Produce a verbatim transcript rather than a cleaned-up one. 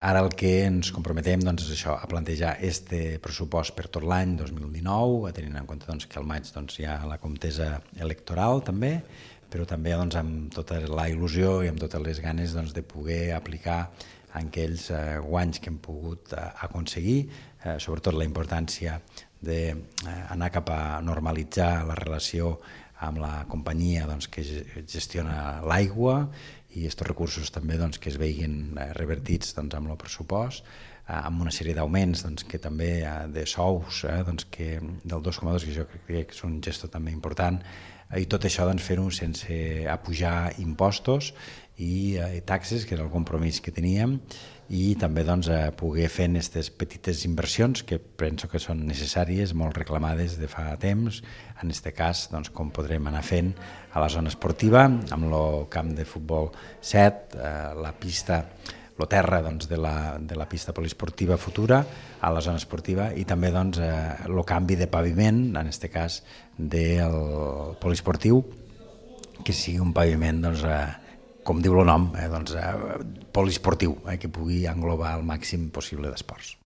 Ara el que ens comprometem doncs, és això, a plantejar este pressupost per tot l'any dos mil dinou, tenint en compte doncs, que al maig doncs, hi ha la contesa electoral també, però també doncs, amb tota la il·lusió i amb totes les ganes doncs, de poder aplicar aquells eh, guanys que hem pogut eh, aconseguir, eh, sobretot la importància d'anar eh, cap a normalitzar la relació amb la companyia doncs, que gestiona l'aigua i aquests recursos també doncs, que es veiguin revertits doncs, amb el pressupost, eh, amb una sèrie d'augments doncs, que també eh, de sous eh, doncs, que del dos coma dos, que jo crec que és un gesto també important, i tot això doncs, fer-ho sense apujar impostos i eh, taxes, que era el compromís que teníem, i també doncs, eh, poder fer aquestes petites inversions que penso que són necessàries, molt reclamades de fa temps, en aquest cas doncs, com podrem anar fent a la zona esportiva, amb el camp de futbol set, eh, la pista, el terra doncs, de, la, de la pista poliesportiva futura a la zona esportiva i també doncs, eh, el canvi de paviment, en aquest cas del poliesportiu, que sigui un paviment doncs, eh, com diu el nom, eh, doncs, eh, poliesportiu, eh, que pugui englobar el màxim possible d'esports.